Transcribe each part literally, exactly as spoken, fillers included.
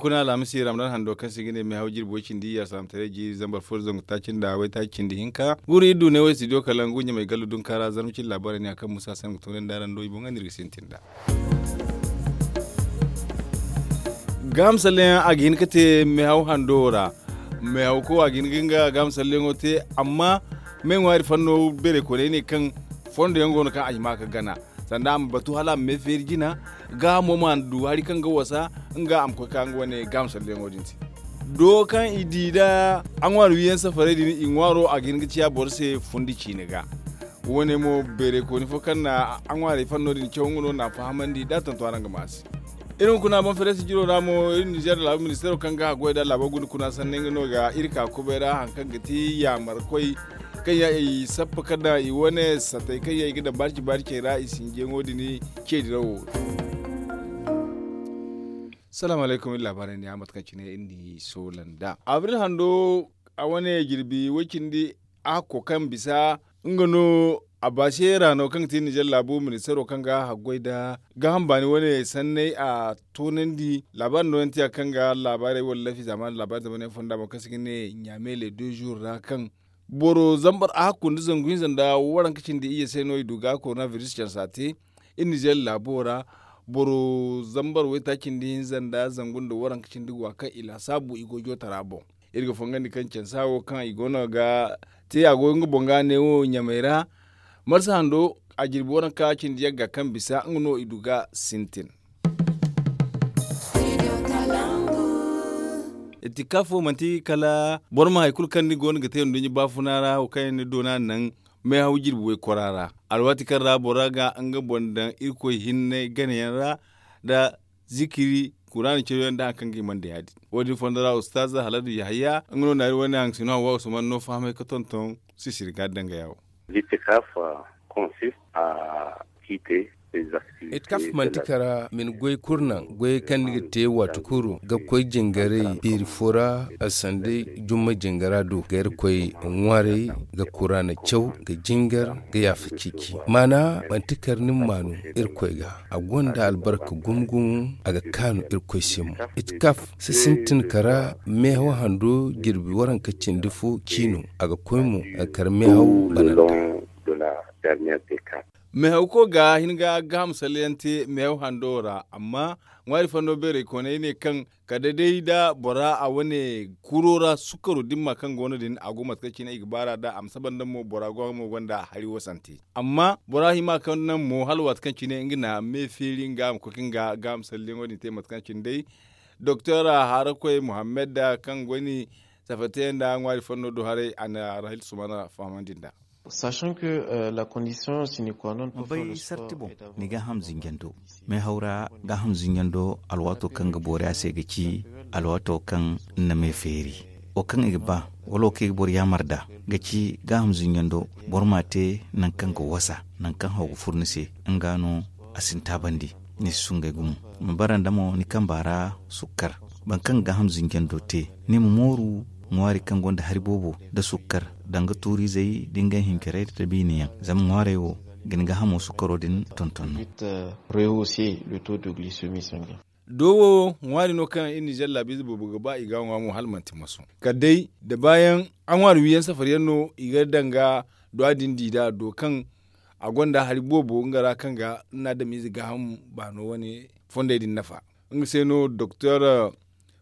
Kuna alhamisi ramadan hando kaŋ se i ga ne meehaw jirbi way cindi ya salamtaray jiiri zambar fo da zangu taaci nda waytaaci cindi hinka guru iri du ne way studio kala ngu ɲamay gallu dunka ra zarma cindi laabaarey ne a kaŋ musa sangu toonay nda rando i boŋ ga no iri ga sintin nda. Gaaham salleyaŋ a ga hin ga te meehaw hando ra. Meehaw ko a ga hin ga nga gaaham salleyaŋo te. Amma me ŋwaari fanno beeray koonay ne kaŋ fondo yaŋ go no kaŋ a hima ga gana sanda a ma batu hala a ma me feeri jina. Gaahamo ma du hari kaŋ ga wasa nga a ma koy ka nga wane gaaham salleyaŋo din se. Do kaŋ i di nda a ŋwaari wiiyaŋ safaray din i ŋwaaro a ga hin ga ciya boro se fundi ciine ga. Wo- ne mo beeray kooni fo kaŋ na a ŋwaarey fanno din caw nga no na a fahamandi da a tantu araŋ ga ma a se. Iri hunkuna boŋ fereesi jiro ra mo iri nizeer laabu ministeero kaŋ ga haggoy nda laabo guna kuna sanney nga no ga iri ka kubay ra hari kaŋ ga ti yaamarkoy kaŋ yaŋ i sappa ka daŋ i wane satey kaŋ yaŋ i ga daŋ baarci baarcey ra i sinjiyaŋo din. Ceedirawo. Salaamu alaykum iri laabaarey ne a mate kaŋ cine iri n'i soola nda abril hando a wane jirbi way cindi a hakko kaŋ bisa nga no a baase ra no kaŋ ga ti nizeer laabu ministeero kaŋ ga haggoy nda gaaham baani wane sanney a toonandi laabaari nooyantiya kaŋ ga laabaarey wala lafi zaamaani laabaari zamaney fonda boŋ kaŋ se ga ne ɲaame le deux jours ra kaŋ boro zambar a hakku nda zangu hinza nda waranka cindi iyye se no i du ga korona biris cansa te. Iri nizeer laabo ra boro zambar waytaaci nda hinza nda zangu nda waranka cindi go a kaŋ i laasaabu i go jootara boŋ. Iri ga fongandi kaŋ cansa wo kaŋ i go no ga te a go nga boŋ ga ne wo ɲamey ra. Marsa hando a jirbi waranka cindi yagga kaŋ bisa nga no i du ga sintin. Itikaaf wo manti kala boro ma hari kulu kaŋ ni go no ga te nduɲɲa baafuna ra wo kaŋ yaŋ ni doona naŋ meehaw jirbi waykora ra alwaati kaŋ ra bora ga nga boŋ daŋ irkoy hinne ganayaŋ ra nda zikiri kuraana cawyaŋ nda hari kaŋ ga i mana da ya- din wo- din fondo ra ustaaza haladu yahaya nga no na iri wane haŋ sino hawa usman no fahamay ga tonton sisiri ga dangaya wo. Itikaf manti kara ma ni goy kulu naŋ goyey kaŋ ni ga te waati kulu ga koy jingaray beeri fo ra sanday jumma jingara do ga irkoy ŋwaaray ga kuraana caw ga jingar ga yaafa ciici maana manti kara ni ma maanu irkoy ga a gonda albarka gumo gumo a ga kaanu irkoy se mo. Itikaf si sintin kara meehaw hando jirbi waranka cindi fo ciino a ga koy mo ga kara meehaw bananta. Meehawko ga hin ga gaaham salleyaŋ te meehaw hando ra amma ŋwaari fando beerey koonay ne kaŋ kala day da bora a wane kuro ra sukkaro dimma kaŋ go no din a go mate kaŋ cine i ga baar'a da a ma saba nda mo bora go mo gonda hari wasante amma bora hima kaŋ naŋ mo hala waati kaŋ cine nga na me feeri nga a ma koy ka nga gaaham salleyaŋo din te mate kaŋ cine day doktor harakoy muhammad kaŋ go ni safate nda ŋwaari fando do haray a na rahil sumana fahamandi nda. Sachant que la condition sine qua non ma bay sarti boŋ ni gaaham zinjando meehaw ra gaaham zinjando alwaato kaŋ ga boori a se ga ci alwaato kaŋ ni na me feeri wo kaŋ i ga ba wala wo kaŋ i ga boro yaamar nd'a ga ci gaaham zinjando boro m'a te nangu kaŋ ga wasa nangu kaŋ haw ga furo ni se nga no a si ni taabandi ni si sungay gumo ma bara nda mo ni kamba ra sukkar boro kaŋ ga gaaham zinjando te ni ma mooru ŋwaari kaŋ gonda hari boobo nda sukkar danga tuuriizey da ngey hinkarey da biine yaŋ zama ŋwaarey wo ga ni gaahamo sukkaro din tonton no. Do wo ŋwaari no kaŋ iri nizeer laabiize boobo ga ba i ga a ŋwa mo hala manti maso kala day da baayaŋ a ŋwaari wiiyaŋ safari yaŋ no i ga danga duwa din di nd'a do kaŋ a gonda hari boobo nga ra kaŋ ga ni na adamiize gaaham baano wane fondey din nafa. Nga se no doktor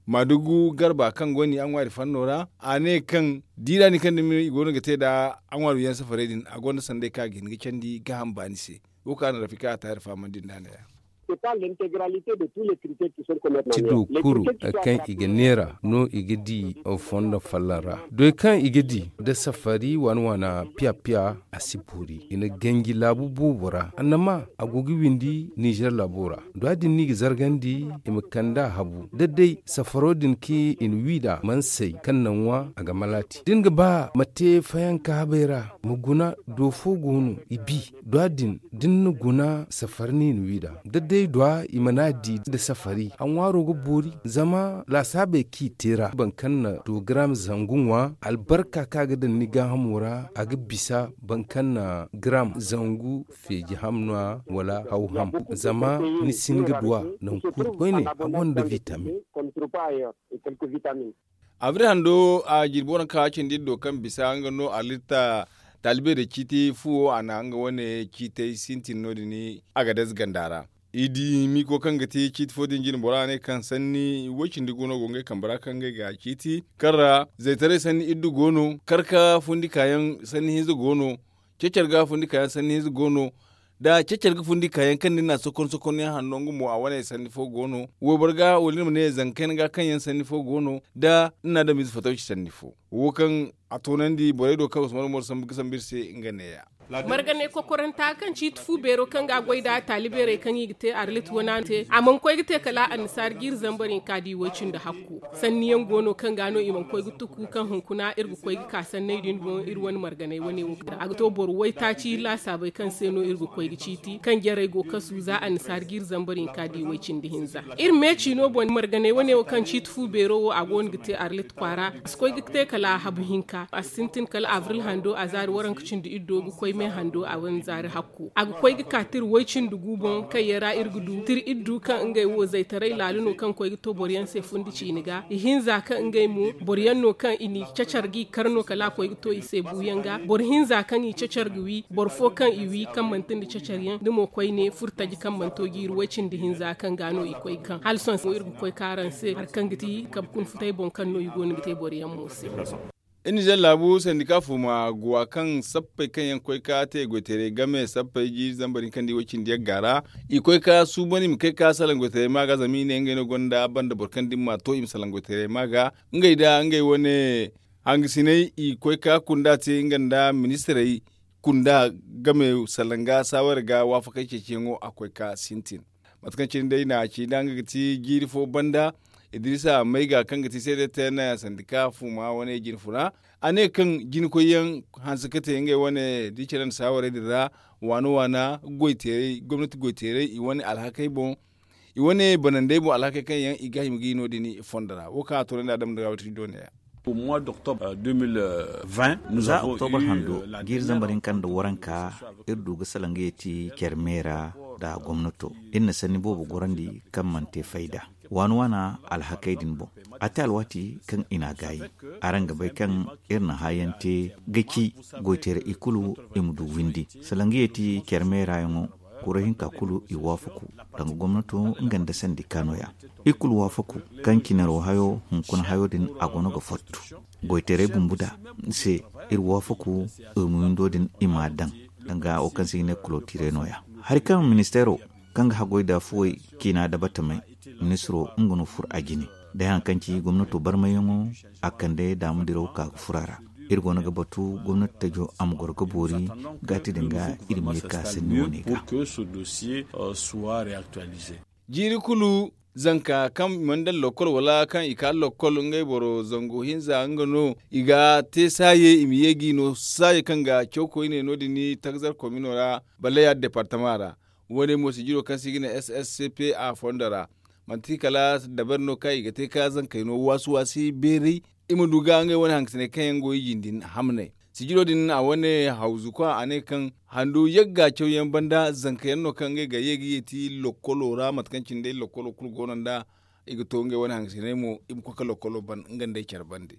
maadugu garba kaŋ go ni a ŋwaari fanno ra a ne kaŋ diiraani kaŋ dumi i go no ga te nd'a a ŋwaari wiiyaŋ safarey din a gonda sanday kaŋ a ga hin ga candi gaaham baani se. Wo kaŋ a na rafika a taahir fahamandi nd'a ne-ya. Ti do kulu kaŋ i ga neera no i ga di fondo folloŋ ra doy kaŋ i ga di nda safari waana waana piya piya a si boori i na ganji laabu boobo ra annama a go ga windi nizer laabo ra duwa din no i ga zargandi i ma kand'a habu da day safaro din kaŋ i na wi nd'a mana say kaŋ na ŋwa a ga malaati da ni ga ba ma te fayanka habey ra ma guna do fo go no i bi duwa din da ni na guna safari no i na wi nd'a da day I dua i mana di nda safari a ŋwaaro ga boori. Zama laasaabey kaŋ i te ra boro kaŋ na dogaram zangu ŋwa albarka kaŋ a ga daŋ ni gaahamo ra a ga bisa boro kaŋ na garam zangu feeji ham no- ya wala haw ham. Zama ni si hin ga dua naŋ kulu koyne a gonda vitamin. Abri hando a jirbi waranka cindi do kaŋ bisa nga no a lirta taalibey da ciiti fuwo a na nga wane ciitey sintin no- din. A ga dayze ganda ra i di miko kaŋ ga ti ciiti fo din jirbi bora ne kaŋ sanni woy cindi go no go ngey kambe ra kaŋ ngey ga ciiti kaŋ ra zaytaray sanni iddu go no karka fundi kaayaŋ sanni hinza go no. Cecar ga fundi kaayaŋ sanni hinza go no da cecar ga fundi kaayaŋ kaŋ din na sokon sokon yaŋ hanno nga mo a wane sanni fo go no. Wayboro ga wala ni ma ne zanka kayna ga kaŋ yaŋ sanni fo go no da ni na adamize fatawci sanni fo wo kaŋ a toonandi borey do kaŋ usman umaru sambu ga sambu iri se nga neeya. Marganay kokoranta kaŋ ciiti fu beero kaŋ ga a goy nd'a taalibeerey kaŋ i ga te arlit wana te a mana koy ga te kala annasaara jiiri zambar hinka da i woy cindi hakku. Sanni yaŋ go no kaŋ ga no i mana koy ga tuku kaŋ hunkuna iri ga koy ga ka sanney din boŋ iri wane marganay wane wo kaŋ a ga to boro waytaaci laasaabey kaŋ se no iri ga koy ga ciiti kaŋ jarey go kasu za annasaara jiiri zambar hinka da i woy cindi hinza. Iri meeci no boŋ marganay wane wo kaŋ ciiti fu beero wo a go no ga te arlit kwaara a si koy ga te kala habu hinka a si sintin kala abril hando a zaari waranka cindi iddo ga koy me hando a wane zaari hakku a ga koy ga ka tira way cindi gu boŋ kaŋ yaŋ ra iri ga du tira iddu kaŋ ngey wo zaytaray laala no kaŋ koy ga to boro yaŋ se fundi ciini ga i hinza kaŋ ngey mo boro yaŋ no kaŋ i n'i cacar ga i kar no kala a koy ga to i se buuyaŋ ga boro hinza kaŋ i cacar ga wi boro fo kaŋ i wi kaŋ manti nda cacar yaŋ da mo koyne furo taji kaŋ mana to jiiri way cindi hinza kaŋ ga no i koy ga kaŋ hala sohõ se mo iri ga koy ka araŋ se hari kaŋ ga ti kabe kuna futay boŋ kaŋ no i go no ga te boro yaŋ mo se. Iri nizer laabu sandika fuma guwa kaŋ sappey kaŋ yaŋ koy ka te goyteeray game sappey jiiri zambar hinka nda i way cindi yagga ra i koy ka suuban i ma kay ka salaŋ goyteeray ma ga zama i ne ngey no gonda banda boro kaŋ da ni ma to i ma salaŋ goyteeray ma ga ngey da ngey wane hangasiney i koy ka kunda te nga nda ministirey kunda game salaŋ ga saaware ga waafakey ceeciyaŋo a koy ka sintin. Mate kaŋ cine day na a ci nda nga ga ti jiiri fo banda idrisa mayga kaŋ ga ti seede te na sandika fuma wane jine funa a ne kaŋ jine koyyaŋ hanse ka te ngey wane da i care nda saawarey din ra waana waana gomnati goyteeray i wane alhakey boŋ i wane banandey boŋ alhakey kaŋ yaŋ i ga hima ga i no- din fondo ra wo kaŋ a toonandi a dama nda ga wati do ne ya. Za oktobra hando jiiri zambar hinka nda waranka iri du ga salaŋ ga yeeti care meera nda gomnato iri na sanni boobo gorandi kaŋ mana te fayda waana waana alhakey din boŋ a te alwaati kaŋ i n'a gaayi. Araŋ ga bay kaŋ iri na hã yaŋ te ga ci goyteeray i kulu i ma du windi salaŋ ga yeeti care meera yaŋo kura hinka kulu i waafaku danga gomnato nga nda sandika no- ya. Iri kulu waafaku kaŋ cinaro hayo hunkuna hayo din a go no ga fottu goyteeray bumbu da se iri waafaku iri ma windo din i m'a daŋ danga wo kaŋ se i ga ne kulotire no- ya. Hari kaŋ ministeero kaŋ ga haggoy nda fuwey ciina nda batamey ministiro nga no furo a jine day haŋ kaŋ ci gomnato barmayyaŋo a kande daama diraw ka ga furo a ra. Iri go no ga batu gomnati tajo a ma goro ga boori gaati din ga iri ma ye ka sanni wane ga. Jiiri kulu zanka kaŋ i mana daŋ lokkol wala kaŋ i ka lokkol ngey boro zangu hinza nga no i ga te saaye i ma ye ga i no saaye kaŋ ga caw koyne no- din takzar komino ra balle ya departama ra. Wo- ne mo sijiro kaŋ se i ga ne sscp a fondo ra manti kala dabari no kaŋ i ga te ka zankey no waasi waasi beeray i ma du ga ngey wane hangasiney kaŋ yaŋ go i jindi hamney. Sijiro din a wane hawzu kwa a ne kaŋ handu yagga cawyaŋ banda zanka yaŋ no kaŋ ngey ga ye ga yeeti lokkolo ra mate kaŋ cine day lokkolo kulu go no nda i ga to ngey wane hangasiney mo i ma koy ka lokkolo ban nga nda ay care bande.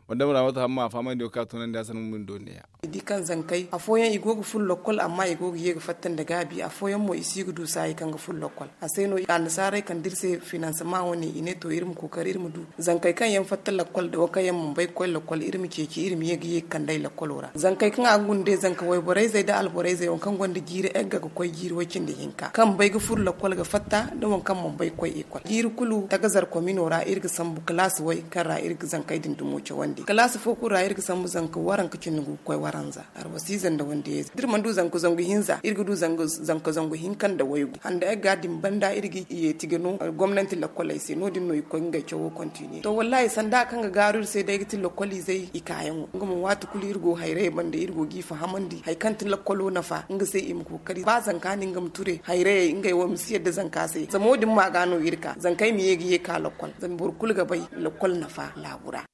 Madama ra wata hamma a fahamandi wo kaŋ a tunandi a sanni mumin do ne ya. I di kaŋ zankey afooyaŋ i go ga furo lokkol amma i go ga ye ga fatta nda gaabi afooyaŋ mo i si ga du saayi kaŋ ga furo lokkol. A se no annasaarey kande iri se finansama wane i ne to iri ma kookari iri ma du zankey kaŋ yaŋ fatta lakkol nda wo kaŋ yaŋ mana bay ga koy lakkol iri ma ceeci iri ma ye ga ye ga kand'ey lakkolo ra zankey kaŋ a ga guna day zanka wayborey zey nda alborey zey waŋ kaŋ gonda jiiri egga ga koy jiiri way-cindi hinka kaŋ bay ga furo lakkol ga fatta nda waŋ kaŋ mana bay ga koy ekol jiiri kulu tagazar komino ra iri ga sambu kalaasi way kaŋ ra iri ga zankey din dumo cawandi. Kalaasi fo kulu ra iri ga sambu zanka waranka cindi ngu ga koy waranza. Arwasiize nda wandiyayze da iri mana du zanka zangu hinza iri ga du zanka zangu hinka nda waygu handa ay ga din banda iri ga yeeti ga no gomnanti lakkoley se no- din no i ga koy ngey cawo kontiniye to wallaahi sanda kaŋ ga gaaru iri se day ga ti lakkoliizey i kaayaŋo nga mo waati kulu iri go hayrayey banda iri go g'i fahamandi hari kaŋ ti lakkolo nafa nga se i ma kookari ba zanka no nga ma ture hayrayey ngey wo ma si yadda zanka se zama wo- din ma ga no iri ka zankey ma ye ga ye ka lakkol zama boro kulu ga bay lakkol nafa laabu ra.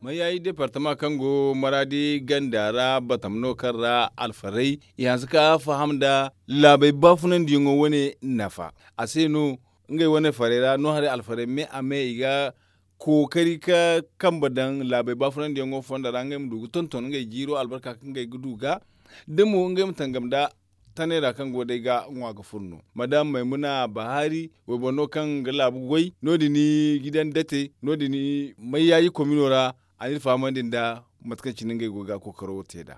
Mayaayi departama kaŋ go maraadi ganda ra batam no kaŋ ra alfarey i hanse ka faham nda laabey baafunandiyaŋo wane nafa a se no ngey wane farey ra no haray alfarey me a me i ga kookari ka kambe daŋ laabey baafunandiyaŋo fonda ra ngey ma du ga tonton ngey jiiro albarka kaŋ ngey ga du ga da mo ngey ma tangam nda tanay ra kaŋ go day ga ŋwa ga furo no madam maymuna bahaari wayboro no kaŋ ga laabu goy no- din gidan date no- din mayyaaji komino ra a n'iri fahamandi nda mate kaŋ cine ngey go ga kookaro te nd'a.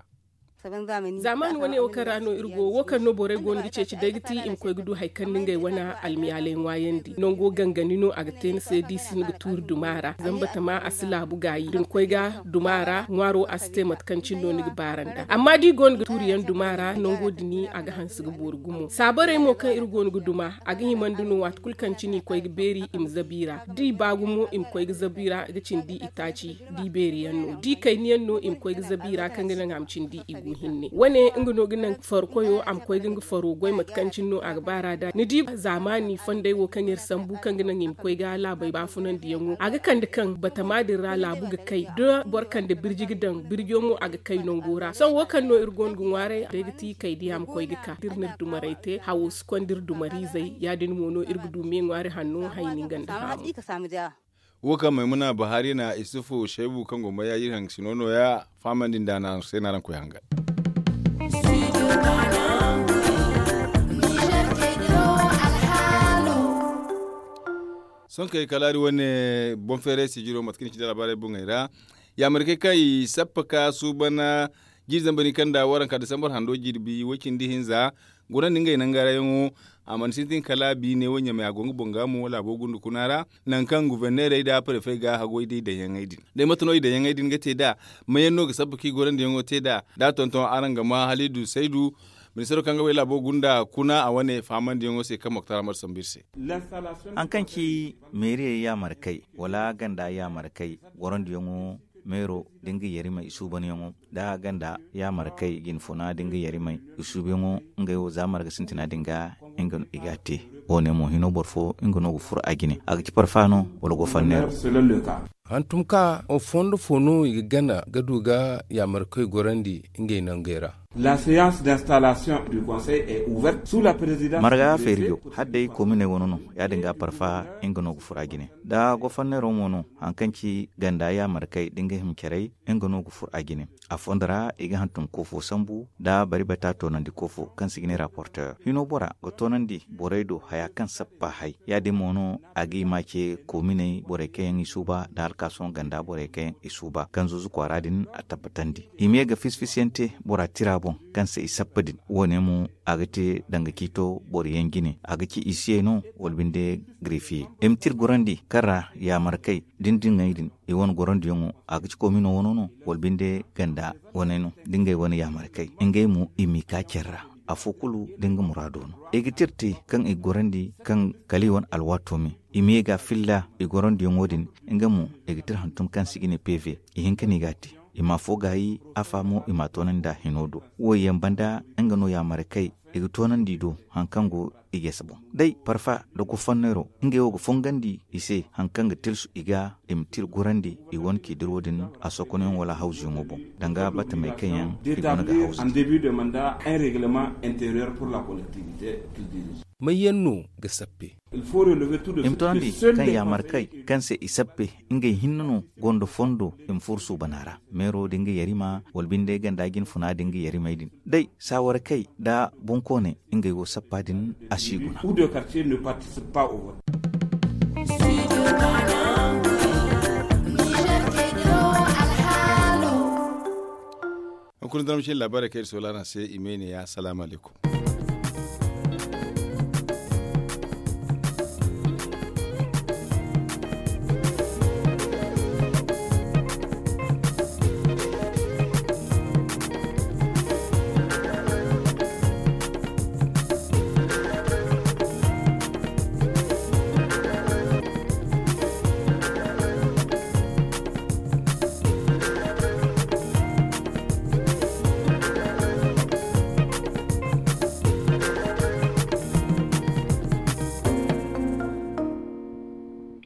Zaamaani wane wo kaŋ ra no iri go wo kaŋ no borey go no ga ceeci day ga ti i ma koy ga du hari kaŋ ni ngey wane almiyaaley ŋwaayandi nango gangani no a ga te ni se da i si ni ga tuuri duma ra zama batama a si laabu gaayi da ni koy ga duma ra ŋwaaro a si te mate kaŋ cine no ni ga baara nd'a amma da i go no ga tuuriyaŋ duma ra nango din a ga hanse ga boori gumo saabarey mo kaŋ iri go no ga duma a ga himandi no waati kulu kaŋ cine i koy ga beeri i ma zabi ra da i ba gumo i ma koy ga zabi ra ga cindi i taaci da i beeri yaŋ no da i kayna yaŋ no i ma koy ga zabi ra kaŋ ga naŋ a ma cindi i gu hinne wane nga no ga naŋ farkoyo a ma koy ga nga faro goy mate kaŋ cine no a ga baara nd'a ni di zaamaani fonday wo kaŋ iri sambu kaŋ ga naŋ i ma koy ga laabey baafunandiyaŋo a ga kande kaŋ batama din ra laabu ga kay da boro kande birji ga daŋ birjo mo a ga kay nango ra sohõ wo kaŋ no iri go no ga ŋwaaray day ga ti kay diya ma koy ga ka da iri n'iri dumarey te hawo si konda iri dumariizey ya- din mo no iri ga du me ŋwaari hanno hayni nga nda haamu. Wo kaŋ maymuna bahaari na isufu shaybu kaŋ go ma ya iri haŋ sino no- ya fahamandi nda na se n'araŋ koy hangan. Sohõ kay kala iri wane boŋ feeray sijiro mate kaŋ i ci nda laabaarey boŋey ra yaamarkey kaŋ i sappa ka suuban jiiri zambar hinka nda waranka disambar hando jirbi way-cindi hinza guna nda ngey nangarayaŋo a mana sintin kala biine wo ɲamay a go nga boŋ ga mo laabo gunda kuna ra nangu kaŋ guverneerey nda parefey ga haggoy da i daŋyaŋey din day mate no i daŋyaŋey din ga te nd'a mayaŋ no ga sabba kaŋ i gorandiyaŋo te nd'a da a tonton araŋ ga ma halidu saydu ministaro kaŋ ga way laabo gunda kuna a wane fahamandiyaŋo se kaŋ moktar amadu sambu iri se. Haŋ kaŋ ci meeriyey yaamarkey wala ganda yaamarkey gorandiyaŋo meero da nga yarimey i suubanyaŋo da ganda yaamarkey jinfuna da nga yarimey i suubanyaŋo ngey wo za marga sintina din ga nga no i ga a te. Wo- ne mo hino boro fo nga no ga furo a jine a ga ci parfa no wala gofanneero. Hantum ka fondo fo no i ga gana ga du ga yaamarkey gorandi ngey nangey ra. La séance d'installation du conseil est ouverte sous la présidence marga feerijo hadday kominey wano no ya- din ga parfa nga no ga furo a jine da gofanneero mo no haŋ kaŋ ci ganda yaamarkey da nga hima carey nga no ga furo a jine. A fondo ra i ga hantum koofo sambu nda bari bata toonandi koofo kaŋ se i ga ne raporteer hino bora ga toonandi borey do haya kaŋ sappa hay ya- din mo no a ga i ma ce koominey borey kaŋ yaŋ i suuba nda alkaason ganda borey kaŋ yaŋ i suuba kaŋ zuuzu kwaara din a tabbatandi i ma ye ga fisi-fisiyaŋ te bora tira boŋ kaŋ se i sappa din wo- ne mo a ga te danga ciito boro yaŋ jine a ga ci isiyey no wala binde girifiye i ma tira gorandi kaŋ ra yaamarkey da ni diŋey din i wane gorandiyaŋo a ga ci koomino wano no wala binde ganda wane no da ngey wane yaamarkey ngey mo i m'i ka care ra afo kulu da nga muraado no i ga tira te kaŋ i ga gorandi kaŋ kala i wane alwaato me i ma ye ga a filla i gorandiyaŋo din nga mo i ga tira hantum kaŋ se i ga ne peve i hinka no i ga a te i ma afo gaayi afa mo i m'a toonandi nd'a hino do wo yaŋ banda nga no yaamarkey i ga toonandi i do haŋ kaŋ go i jese boŋ day parfa nda gofanneero ngey wo ga fongandi i se haŋ kaŋ ga tilsu i ga i ma tira gorandi i wane k'i dira wo- din a sokonayaŋo wala hawzuyaŋo boŋ danga batamey kaŋ yaŋ i go no ga hawzu te. May yaŋ no ga sappe? I ma toonandi kaŋ yaamarkey kaŋ se i sappe ngey hinne no gonda fondo i ma furo suubana ra meero da nga yarima wala binde ganda jinfuna da nga yarimey din day saawarakey nda bonkooney ngey wo sappa din a si guna. Hunkuna zarma cine laabaarey kaŋ iri soola araŋ se i ma ay ne ya salaamu alaykum.